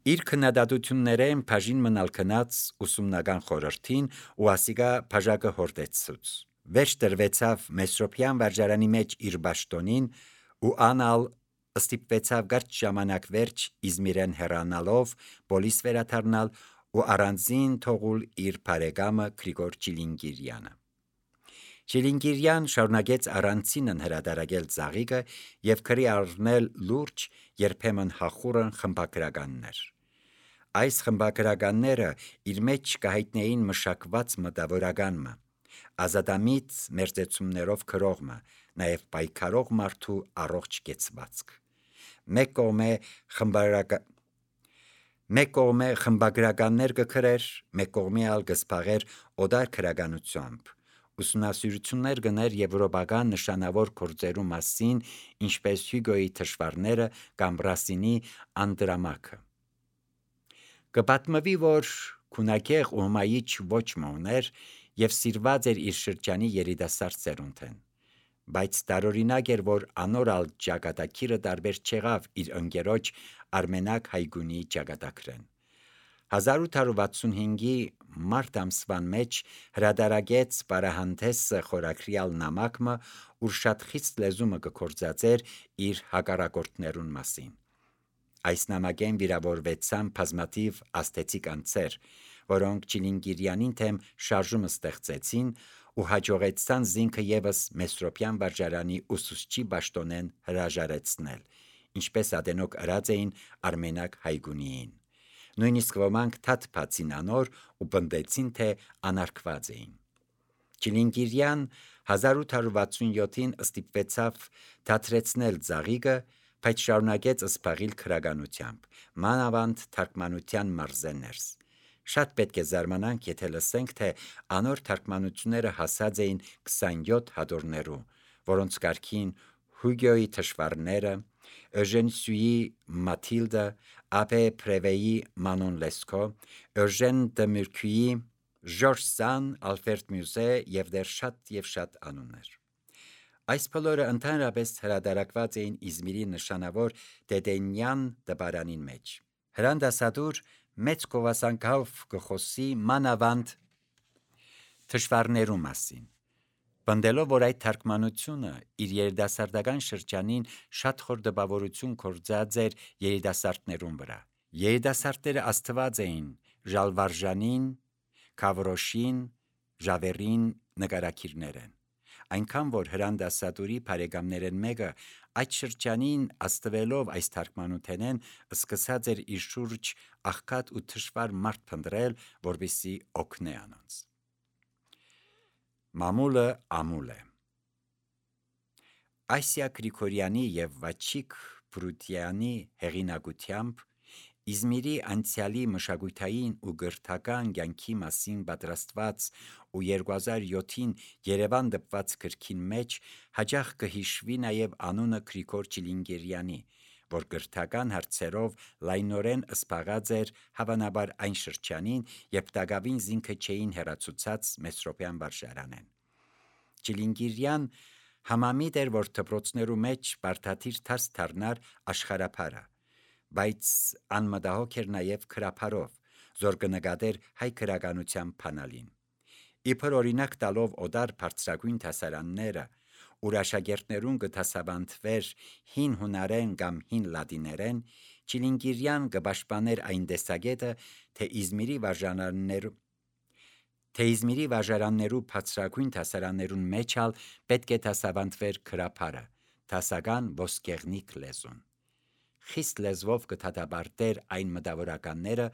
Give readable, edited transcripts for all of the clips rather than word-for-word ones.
Իր քննադատություններեն բաժին մնալ քնած ուսումնական խորհրդին ու ասիգա բաժակը հորդեցուց։ Վերջ տրվեցավ Մեսրոպյան վարժարանի մեջ իր բաշտոնին ու անալ ստիպվեցավ գարչ ժամանակ վերջ Իզմիրեն հեռանալով բոլիս վերադառնալ ու առանձին թողուլ իր բարեկամը Գրիգոր Չիլինգիրյանը։ Չիլինգիրյան շարունակեց առանցինն հրադարագել ծաղիկը և քրի առնել լուրջ, երբեմն հախուռն խմբագրականներ։ Այս խմբագրականները իր մեջ կհայտնեին մշակված մտավորականը, ազատամիտ մերձեցումներով գրողը, նաև պայքարող մարդու առողջ կեցվածք։ Մեկ կողմե խմբագրականներ կգրեր, մեկ կողմի ալ կզբաղեր օդար գրականությամբ, ուսումնասիրություններ գներ եվրոպական նշանավոր գործերու մասին, ինչպես Հյուգոյի թշվառները կամ Ռասինի Անդրամակը։ Կպատմվի, որ քունագեղ ու հմայիչ ոչ մոներ և սիրված էր իր շրջանի երիտասարդ սերունդեն, բայց տարօրինակ էր, որ անոր ալ ճակատագիրը տարբեր չեղավ իր ընկերոջ Արմենակ Հայգունիի ճակատագրեն։ 1865-ի մարտ ամսվան մեջ հրադարագեց «Պարահանդեսը» խորագրյալ նամակը, ուր շատ խիստ լեզումը կգործածեր իր հակառակորդներուն մասին։ Այս նամակեն վիրավորվեցան բազմաթիվ ազդեցիկ անձեր, որոնք Չիլինգիրյանին թեմ շարժում ստեղծեցին ու հաջողեցան զինքը ևս Մեսրոպյան վարժարանի ուսուցչի բաշտոնեն հրաժարեցնել, ինչպես ատենոք ըրած էին Արմենակ Հայգունիին։ Նույնիսկ ոմանք թաթ անոր ու պնդեցին, թե անարգված էին։ Չիլինգիրյան 1867-ին ստիպվեցավ դադրեցնել ծաղիկը, բայց շարունակեց զբաղիլ գրականությամբ, մանավանդ թարգմանության մարզեններս։ Շատ պետք է զարմանանք, եթե լսենք, թե անոր թարգմանությունները հասած էին 27 հատորներու, որոնց կարգին Հյուգոյի թշվառները, Էժեն Սյուի Մաթիլդը, Աբե Պրևեի Մանոն Լեսկո, Էժեն դը Մուրքյուի Ժորժ Սան, Ալֆրեդ Մյուզե և դեռ շատ անուններ։ Այս բոլորը ընդհանրապես հրադարակված էին Իզմիրի նշանավոր Դեդենյան դպարանին մեջ։ Հրանդասատուր մեծ գովասանքով կխոսի մանավանդ թշվառներու մասին, պնդելով, որ այդ թարգմանությունը իր երիտասարդական շրջանին շատ խոր տպավորություն գործած էր երիտասարդներուն վրա։ Երիտասարդները աստված էին Ժալվարժանին, Գավրոշին, Ժավերին նկարագիրներեն, այնքան որ հրանդասատուրի բարեկամներեն մեկը այդ շրջանին աստվելով այս թարգմանութենեն սկսած էր իր շուրջ աղքատ ու թշվառ մարդ փնտրել, որպեսզի օգնե անոնց։ Մամուլը ամուլ է։ Ասիա Գրիգորյանի և Վաչիկ Բրուտյանի հեղինակությամբ Իզմիրի անցյալի մշակութային ու գրթական կյանքի մասին պատրաստված ու 2007-ին Երևան դպված գրքին մեջ հաճախ կհիշվի նաև անունը Գրիգոր Չիլինգիրյանի, որ գրթական հարցերով լայնորեն զբաղած էր հավանաբար այն շրջանին, երբ տակավին զինքը չէին հեռացուցած Մեսրոպյան վարժարանեն։ Չիլինգիրյան համամիտ էր, որ դպրոցներու մեջ բարդաթիր դաս դառնար աշխարհափարը, բայց անմտահոգ էր նաև գրաբարով, զոր կնկատեր հայ գրականության բանալին։ Իբր օրինակ տալով օդար բարձրագույն դասարանները, ուր աշակերտներուն կդասավանդվեր հին հունարեն կամ հին լատիներեն, Չիլինգիրյան կպաշտպաներ այն տեսակետը, թե Իզմիրի վարժարաններու բարձրագույն դասարաններուն մեջ ալ պետք է դասավանդվեր գրաբարը, դասական ոսկեղնիկ լեզուն։ Խիստ լեզվով կդատապարտեր այն մտավորականները,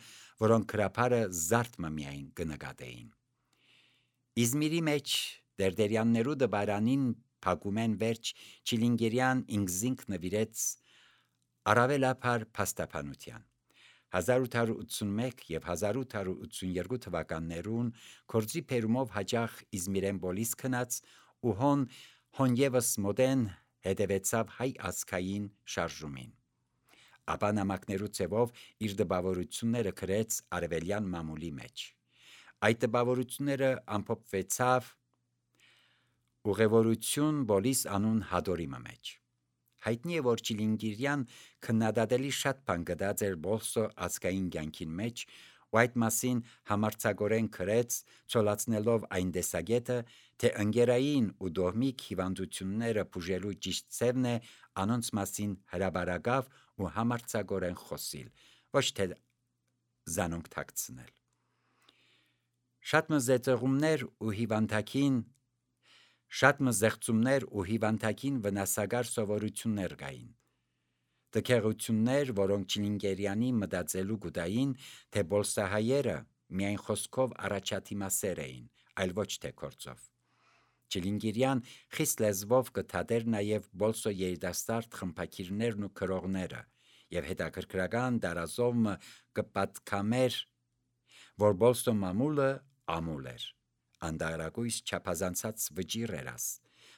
որոնք գրաբարը զարդմը միայն կնկատեին։ Իզմիրի մեջ Դերդերյաններու դպարանին փակումեն վերջ Չիլինգիրյան ինքզինք նվիրեց առավելաբար փաստաբանության։ 1881 և 1882 թվականներուն գործի բերումով հաճախ Իզմիրեն բոլիս քնած ու հոն ևս մոդեն հետևեցավ հայ ազգային շարժումին։ Ապա նամակներու ձևով իր տպավորությունները գրեց արևելյան մամուլի մեջ։ Այդ տպավորությունները ամփոփվեցավ «Ուղևորություն բոլիս» անուն հատորիմը մեջ։ Հայտնի է, որ Չիլինգիրյան քննադատելի շատ բան գտած էր Բոլսո ազգային կյանքին մեջ, ու այդ մասին համարձակորեն գրեց, ցոլացնելով այն տեսակետը, թե ընկերային ու դոհմիկ հիվանդությունները բուժելու ճիշտ ձևն է անոնց մասին հրաբարակավ ու համարձակորեն խոսիլ, ոչ թե զանոնք թաքցնել։ Շատ մզեղծումներ ու հիվանդակին վնասակար սովորություններ կային։ Տքեղություններ, որոնք Չիլինգիրյանի մտածելու գուտային, թե բոլսահայերը միայն խոսքով առաջադիմասեր էին, այլ ոչ թե գործով։ Չիլինգիրյան խիստ լեզվով կթադեր նաև բոլսո երիտասարդ խմբակիրներն ու գրողները և հետաքրքրական տարազով կպատկամեր, որ բոլսո մամուլը ամուլ էր, անդարակույս չափազանցած վճիռ էր,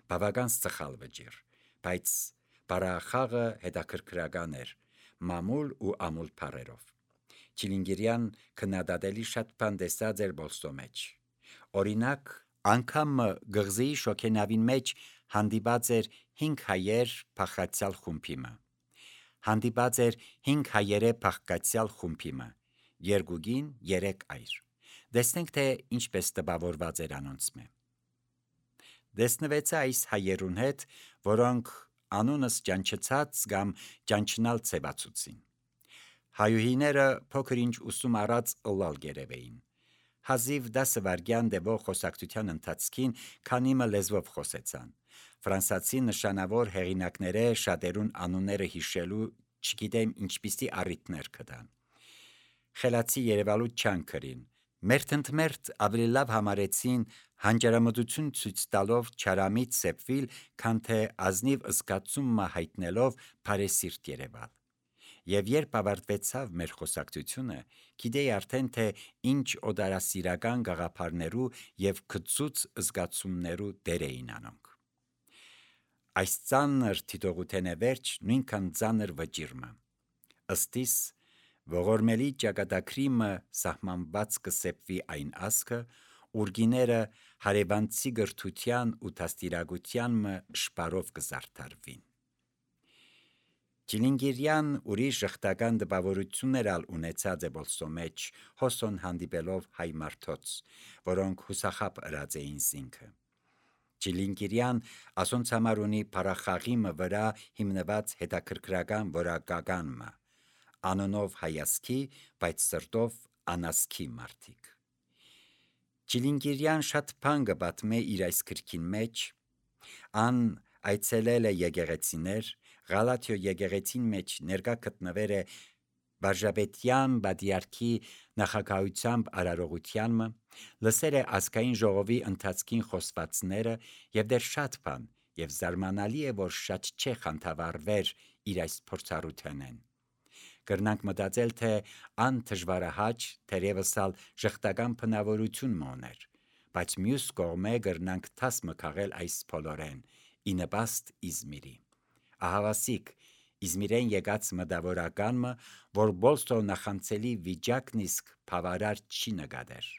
բավական սխալ վճիռ, բայց բարախաղը հետաքրքրական էր, մամուլ ու ամուլ բառերով։ Չիլինգիրյան քննադատելի շատ բան տեսած էր Բոլսո մեջ։ Օրինակ, անգամ գղզիի շոգենավին մեջ հանդիպած էր 5 հայեր փախկացյալ խումբիմը, 2 կին, 3 այր։ Տեսնենք, թե ինչպես տպավորված էր անոնցմե։ Տեսնվեցա այս հայերուն հետ, որոնք անունս ճանչցած կամ ճանչնալ ցեվացուցին։ Հայուհիները փոքր ինչ ուսում առած ըլլալ գերեվեին։ Հազիվ 10 վայրկյան տևող խոսակցության ընթացքին քանիմը լեզվով խոսեցան։ Ֆրանսացի նշանավոր հեղինակները շատերուն անունները հիշելու չգիտեմ ինչպիսի առիթներ կտան։ Խելացի երևալու չան կրին։ Մերթընդմերթ ավելի լավ համարեցին հանճարամտություն ցույց տալով չարամիտ սեպվիլ, քան թե ազնիվ զգացումը հայտնելով բարեսիրտ երևալ։ Եվ երբ ավարտվեցավ մեր խոսակցությունը, գիտեի արդեն, թե ինչ օտարասիրական գաղափարներու և քծուց զգացումներու դեր էին անոնք։ Այս ծանր թիթողութենե վերջ նույնքան ծանր վճիռը։ Ըստիս ողորմելի ճակատագրիմը սահմանված կսեպվի այն ասկը, ուրգիները հարևանցի գրթության ու դաստիարակության շպարով կզարդարվին։ Չիլինգիրյան ուրիշ ժխտական տպավորություններ ալ ունեցած է Բոլսո մեջ, հոսոն հանդիպելով հայ մարդոց, որոնք հուսախաբ ըրած էին զինքը։ Չիլինգիրյան ասոնց համար ունի փառախաղիմը վրա հիմնված հետաքրքրական որակական մը, անոնով հայասքի, բայց սրտով անասքի մարդիկ։ Չիլինգիրյան շատ բան կպատմե իր այս գրքին մեջ, ան այցելել է եկեղեցիներ, Ղալաթիո եկեղեցին մեջ ներկա գտնվեր է վարժապետյան բադիարքի նախագահությամբ արարողությանը, լսել է ազգային ժողովի ընթացքին խոսվածները և դեռ շատ բան, և զարմանալի է, որ շատ չէ խանդավառվեր իր այս փորձառութենեն։ Կրնանք մտածել, թե ան դժվարահաճ, թերևս ալ ժխտական բնավորություն մոներ, բայց մյուս կողմէ կրնանք դաս մը քաղել այս բոլորեն, ի նպաստ Իզմիրի։ Ահավասիկ Իզմիրեն եկած մտավորականը, որ Բոլսո նախանցելի վիճակն իսկ բավարար չի նկատեր։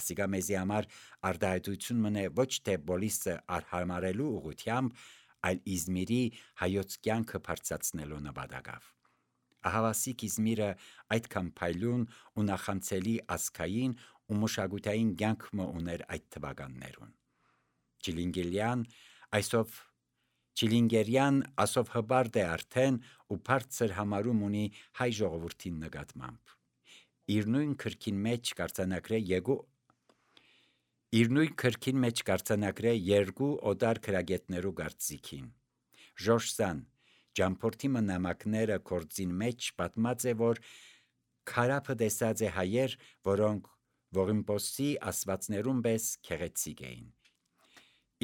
Ասիկա մեզի համար արտահայտություն մնե ոչ թե Բոլիսը արհամարելու ուղղությամբ, այլ Իզմիրի հայոց կյանքը բարձրացնելու նպատակով։ Ահավասիկ Իզմիրը այդքան փայլուն ու նախանցելի ազգային ու մշակութային կյանք ուներ այդ թվականներուն։ Չիլինգիրյան ասով հպարտ է արդեն ու բարձր համարում ունի հայ ժողովրդին նկատմամբ։ Իր նույն քրքին մեջ կարձանագրե երկու օտար գրագետներու կարծիքին։ Ժորժ Սան ճամփորդի նամակները գործին մեջ պատմած է, որ քարափը տեսած է հայեր, որոնք Ողիմպոսի ասվածներուն պես քեղեցիկ էին։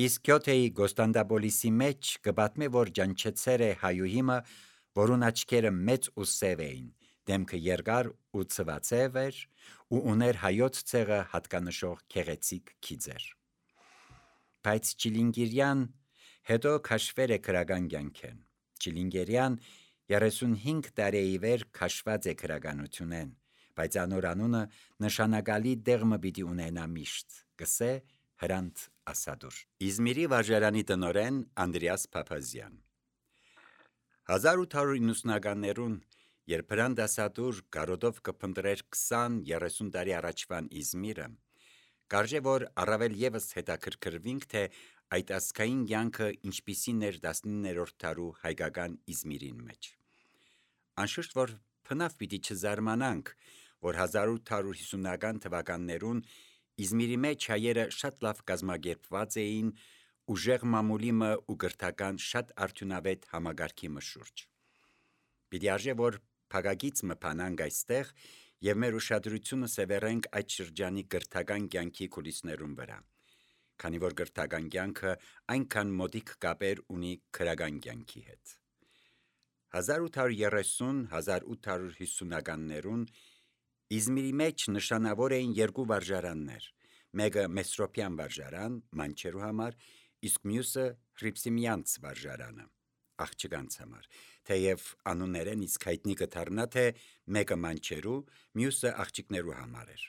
Իսկ Գյոթեի Գոստանդապոլիսի մեջ կպատմե, որ ճանչեցեր է հայուհիմը, որուն աչքերը մեծ ու սև էին, դեմքը երկար ու ցվածև էր ու ուներ հայոց ցեղը հատկանշող քեղեցիկ քիծեր։ Բայց Չիլինգիրյան հետո քաշվեր է քրական կյանքեն։ Չիլինգիրյան 35 տարեի վեր քաշված է քրականությունեն, բայց անոր անունը նշանակալի դեղմը պիտի ունենա միշտ, կսե Հրանտ Ասադուր։ Իզմիրի վարժարանի տնօրեն Անդրեաս Փափազյան։ 1890-ականներուն երբ հրանդասատուր գարոդով կփնտրեր 20-30 տարի առաջվան Իզմիրը, կարժե որ առավել եւս հետաքրքրվինք, թե այդ ազգային կյանքը ինչպիսին էր 19-րդ դարու հայկական Իզմիրին մեջ։ Անշուշտ որ փնավ պիտի չզարմանանք, որ 1850-ական թվականներուն Իզմիրի մեջ հայերը շատ լավ կազմակերպված էին ուժեղ մամուլիմը ու գրթական շատ արդյունավետ համագարքի մշուրջ։ Պիտի արժե որ փակագից մփանանք այստեղ եւ մեր ուշադրությունը սևեռենք այդ շրջանի գրթական կյանքի կուլիսներուն վրա, քանի որ գրթական կյանքը այնքան մոտիկ կապեր ունի քրական կյանքի հետ։ 1830-1850-ականներուն Իզմիրի մեջ նշանավոր էին երկու վարժարաններ, մեկը Մեսրոպյան վարժարան մանչերու համար, իսկ մյուսը Հռիփսիմյանց վարժարանը աղջկանց համար, թեև անուններեն իսկ հայտնի կդառնա, թե մեկը մանչերու, մյուսը աղջիկներու համար էր։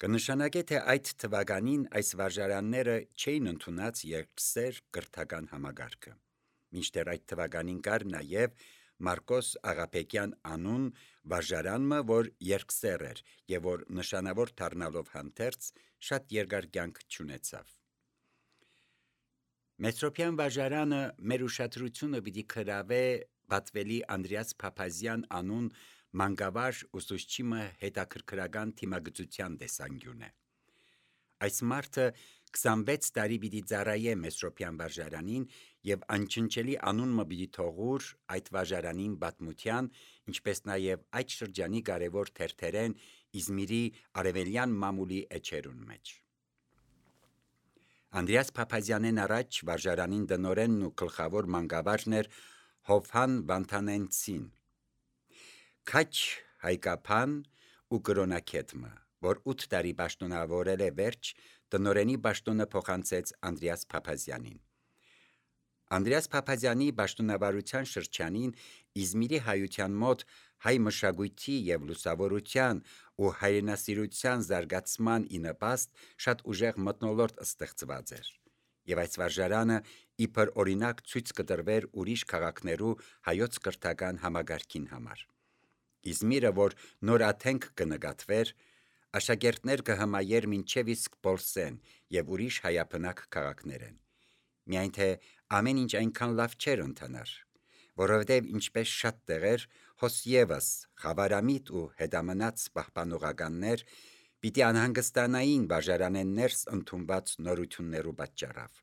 Կնշանակե, թե այդ թվականին այս վարժարանները չէին ընդունած երկսեր կրթական համագարկը, մինչդեռ այդ թվականին կար նաև Մարկոս Աղաբեկյան անուն վարժարանը, որ երկսեր էր եւ որ նշանավոր դառնալով հանդերձ շատ երկար կյանք չունեցավ։ Մեսրոպյան վարժարանը մեր ուշադրությունը պիտի գրավե Բաթվելի Անդրեաս Փափազյան անուն մանկավարժ ուսուցչի հետաքրքրական թիմագծության տեսանկյուն է։ Այս մարդը 26 տարի պիտի ծառայե Մեսրոպյան վարժարանին եւ անչնչելի անուն պիտի թողուր այդ վարժարանին պատմության, ինչպես նաեւ այդ շրջանի կարևոր թերթերեն Իզմիրի արևելյան մամուլի էջերուն մեջ։ Անդրեաս Փափազյանեն առաջ վարժարանին դնորենն ու գլխավոր մանկավարժն էր Հովհան Վանթանենցին։ Քաչ հայկապան ու կրոնակետմը, որ 8 տարի պաշտոնավորել է վերջ, տնօրենի պաշտոնը փոխանցեց Անդրեաս Փափազյանին։ Անդրեաս Փափազյանի պաշտոնավարության շրջանին Իզմիրի հայության մոտ հայ մշակույթի եւ լուսավորության ու հայրենասիրության զարգացման ի նպաստ շատ ուժեղ մթնոլորտ ստեղծված էր, եւ այս վարժարանը իբր օրինակ ցույց կտրվեր ուրիշ քաղաքներու հայոց կրթական համագարքին համար։ Իզմիրը, որ նոր աթենք կնկատվեր, աշակերտներ կհմայեր մինչև իսկ Պոլսեն եւ ուրիշ հայաբնակ քաղաքներեն։ Միայն թե ամեն ինչ այնքան լավ չէր ընթանար, որովհետև ինչպես շատ տեղեր, հոս ևս խավարամիտ ու հետամնաց պահպանողականներ պիտի անհանգստանային վարժարանեն ներս ընդունված նորություններու պատճառով։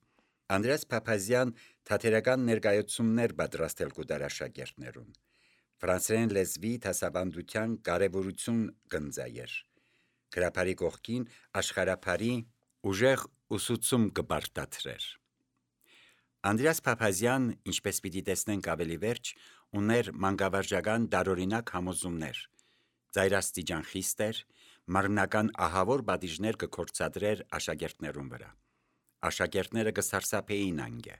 Անդրեաս Փափազյան թատերական ներկայացումներ պատրաստել կուտար աշակերտներուն։ Ֆրանսերեն լեզվի դասավանդության կարևորություն կնձայեր։ Գրաբարի կողքին աշխարհաբարի ուժեղ ուսուցում կբարտադրեր։ Անդրեաս Փափազյան, ինչպես պիտի տեսնենք ավելի վերջ, ուներ մանկավարժական տարօրինակ համոզումներ, ծայրաստիճան խիստ էր, մարմնական ահավոր պատիժներ կգործադրեր աշակերտներուն վրա։ Աշակերտները կսարսափեին անգե,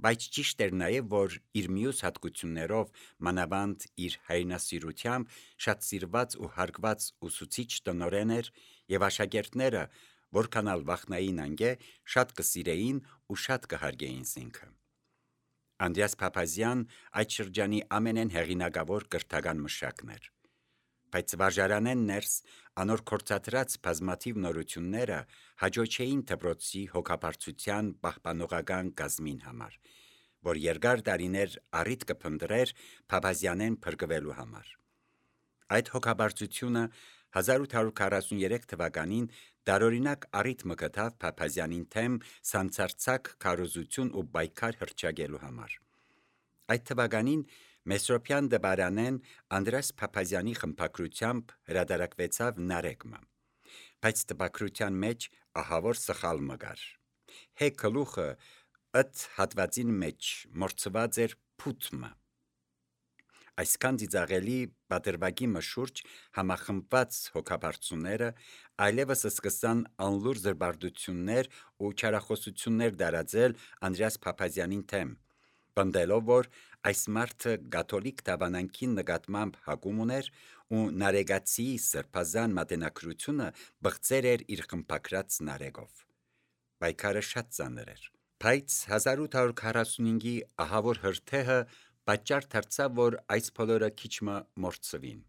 բայց ճիշտ էր նաև, որ իր մյուս հատկություններով, մանավանդ իր հայրենասիրությամբ, շատ սիրված ու հարգված ուսուցիչ տնօրեն էր եւ աշակերտները որքան ալ վախնային անգե, շատ կսիրեին ու շատ կհարգեին զինքը։ Անդրեաս Փափազյան այդ շրջանի ամենեն հեղինակավոր կրթական մշակն էր, բայց վարժարանեն ներս անոր կործադրած բազմաթիվ նորությունները հաջողեին դպրոցի հոգաբարձության պահպանողական կազմին համար, որ երկար տարիներ առիթ կփնտրեր Փափազյանեն փրկվելու համար։ Այդ հոգաբարձությունը 1843 թվականին տարօրինակ առիթ մկտավ Փափազյանին թեմ սանձարձակ քարոզություն ու պայքար հռչակելու համար։ Այդ թվականին Մեսրոպյան դպարանեն Անդրեաս Փափազյանի խմբագրությամբ հրատարակվեցավ Նարեկմը, բայց տպագրության մեջ ահավոր սխալ մգար։ Հե գլուխը ըտ հատվածին մեջ մորցված էր փութմը։ Այսքան ծիծաղելի պատրվակի մշուրջ համախմբված հոգաբարձուները այլևս սկսան անլուր զրբարտություններ ու չարախոսություններ տարածել Անդրեաս Փափազյանին թեմ, պնդելով, որ այս մարդը կաթոլիկ դավանանքի նկատմամբ հակում ուներ ու նարեկացիի սրբազան մատենագրությունը բղծեր էր իր խմբագրած նարեկով։ Պայքարը շատ ծանր էր, բայց 1845-ի ահավոր հրթեհը Պատճառ դարձավ, որ այս բոլորը քիչմը մոռցվին։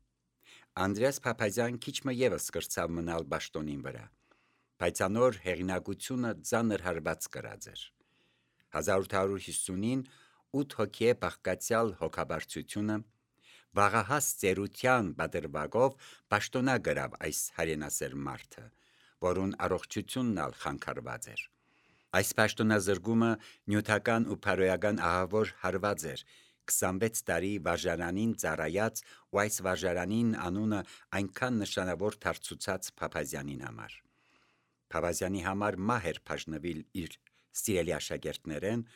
Անդրեաս Փափազյան քիչմը ևս կրծավ մնալ պաշտոնին վրա, բայց անոր հեղինակությունը ծանր հարված կրած էր։ 1850-ին 8 հոգի բաղկացյալ հոգաբարձությունը վաղահաս ծերության բادرվագով պաշտոնա գրավ այս հայրենասեր մարդը, որուն առողջությունն ալ խանգարված էր։ Այս պաշտոնազրկումը նյութական ու փարոյական ահավոր հարված էր 26 տարի վարժարանին ծառայած ու այս վարժարանին անունը այնքան նշանավոր դարձուցած Փափազյանին համար։ Փափազյանի համար մահ էր բաժնվել իր սիրելի աշակերտներեն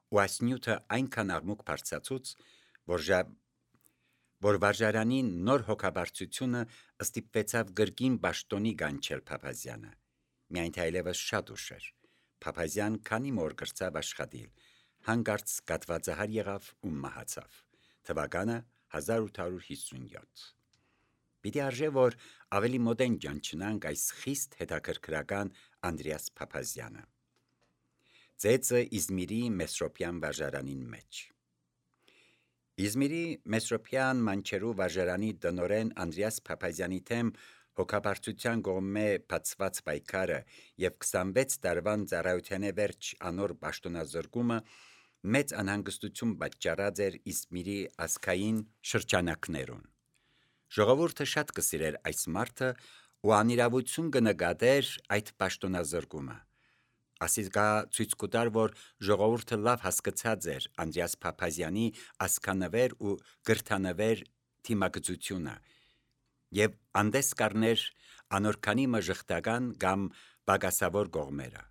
ու այս նյութը այնքան աղմուկ բարձրացուց, որ վարժարանին նոր հոգաբարձությունը ստիպվեցավ գրգին պաշտոնի գանչել Փափազյանը։ Միայն թե այլևս շատ ուշ էր։ Փափազյան քանի մոր կրծավ աշխատել, հանկարծ կատվածահար եղավ ու մահացավ։ Թվականը 1857։ Պիտի արժե, որ ավելի մոդեն ճանչնանք այս խիստ հետաքրքրական Անդրեաս Փափազյանը։ Ծեծը Իզմիրի Մեսրոպյան վարժարանին մեջ։ Իզմիրի Մեսրոպյան մանչերու վարժարանի տնօրեն Անդրեաս Փափազյանի թեմ հոգաբարձության կողմէ բացված պայքարը եւ 26 տարվան ծառայության վերջ անոր պաշտոնազրկումը մեծ անհանգստություն պատճառած էր Իզմիրի ազգային շրջանակներուն։ Ժողովուրդը շատ կսիրեր այս մարդը ու անիրավություն կնկատեր այդ պաշտոնազրկումը։ Ասիկա ցույց կտար, որ ժողովուրդը լավ հասկացած էր Անդրեաս Փափազյանի ազգանվեր ու գրթանվեր թիմակցությունը եւ անդես կառներ անորքանի մժխտական կամ բագասավոր կողմերը։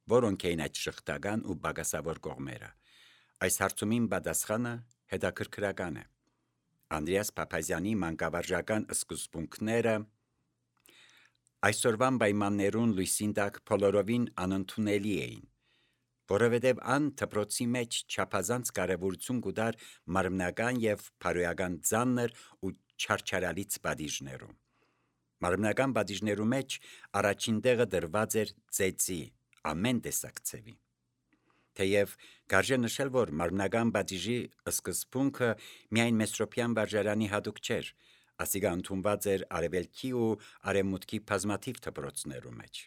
Որոնք էին այդ շղթական ու բագասավոր կողմերը։ Այս հարցումին պատասխանը հետաքրքրական է։ Անդրեաս Փափազյանի մանկավարժական սկզբունքները այսօրվան պայմաններուն լույսին տակ բոլորովին անընդունելի էին, որովհետև ան դպրոցի մեջ չափազանց կարևորություն կուտար մարմնական եւ փարոյական ծանր ու չարչարալից պատիժներում։ Մարմնական պատիժներու մեջ առաջին տեղը դրված էր ծեծի ամեն տեսակ ցևի։ Թեև կարժե նշել, որ մարմնական պատիժի սկզբունքը միայն Մեսրոպյան վարժարանի հատուկ չէր, ասիկա ընդունված էր արևելքի ու արևմուտքի բազմաթիվ դպրոցներու մեջ։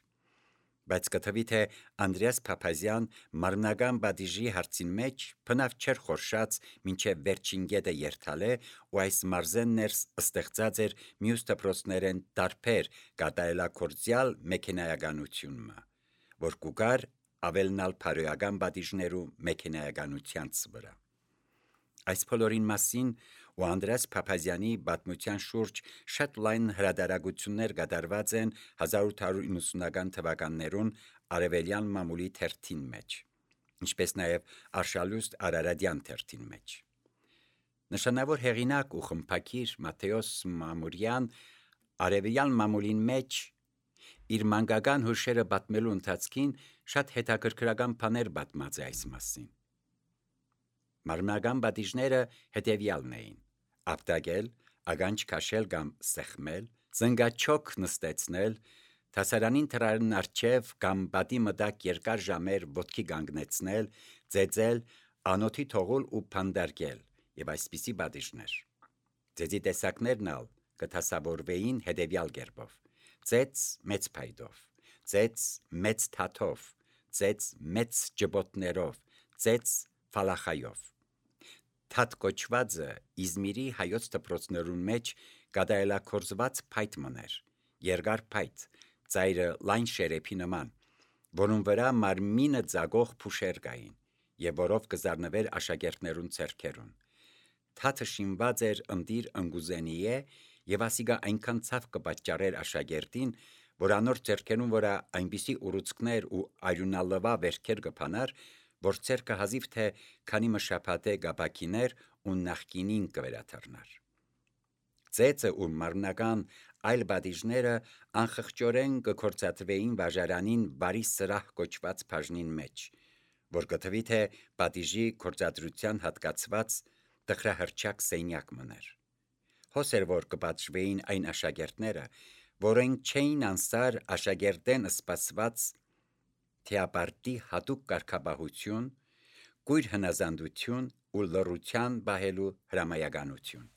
Բայց կթվի թե Անդրեաս Փափազյան մարմնական պատիժի հարցին մեջ բնավ չէր խորշած մինչև վերջին գետը երթալե ու այս մարզեն ներս ստեղծած էր մյուս դպրոցներեն տարբեր կատարելակործյալ մեքենայականությունը, որ կուգար ավելնալ փարոյական պատիժներու մեքենայականությանց վրա։ Այս բոլորին մասին ու Անդրեաս Փափազյանի պատմության շուրջ շատ լայն հրատարակություններ կատարված են 1890-ական թվականներուն Արևելյան մամուլի թերթին մեջ, ինչպես նաև Արշալուստ Արարատյան թերթին մեջ։ Նշանավոր հեղինակ ու խմբագիր Մատթեոս Մամուրյան Արևելյան մամուլին մեջ իր մանկական հուշերը պատմելու ընթացքին շատ հետաքրքրական բաներ պատմած է այս մասին։ Մարմնական պատիժները հետևյալն էին. ապտակել, ագանջ քաշել կամ սեղմել, զնգաչոք նստեցնել, թասարանին թրարն արջև կամ պատի մտակ երկար ժամեր ոտքի կանգնեցնել, ծեծել, անոթի թողել ու փանդարկել եւ այսպիսի պատիժներ։ Ծեծի տեսակներն ալ կտասավորվեին հետևյալ կերպով. ծեծ մեծ փայտով, ծեծ մեծ թաթով, ծեծ մեծ ջբոտներով, ծեծ ֆալախայով։ Թաթ կոչվածը Իզմիրի հայոց դպրոցներուն մեջ կատարելակործված փայտ մներ, երկար փայտ, ծայրը լայն շերեփի նման, որուն վրա մարմինը ծագող փուշեր կային եւ որով կզարնվեր աշակերտներուն ձեռքերուն։ Թաթը շինված էր ընտիր ընկուզենիե եւ ասիկա այնքան ցավ կպատճառեր աշակերտին, որ անոր ձեռքերուն վրա այնպիսի ուռուցքներ ու արյունալվա վերքեր կփանար, որ ձեռքը հազիվ թե քանի մշապատե գաբակիներ ու նախկինին կվերաթարնար։ Ծեծը ու մարմնական այլ պատիժները անխղճորեն կկործատվեին վարժարանին բարի սրահ կոչված բաժնին մեջ, որ կթվի թե պատիժի կործադրության հատկացված տխրահրճակ սենյակ մներ։ Հոսեր որ կպատժվեին այն աշակերտները, որոնք չէին անսար աշակերտեն սպասված թեապարտի հատուկ կարգապահություն, կույր հնազանդություն, ու լռության պահելու հրամայականություն։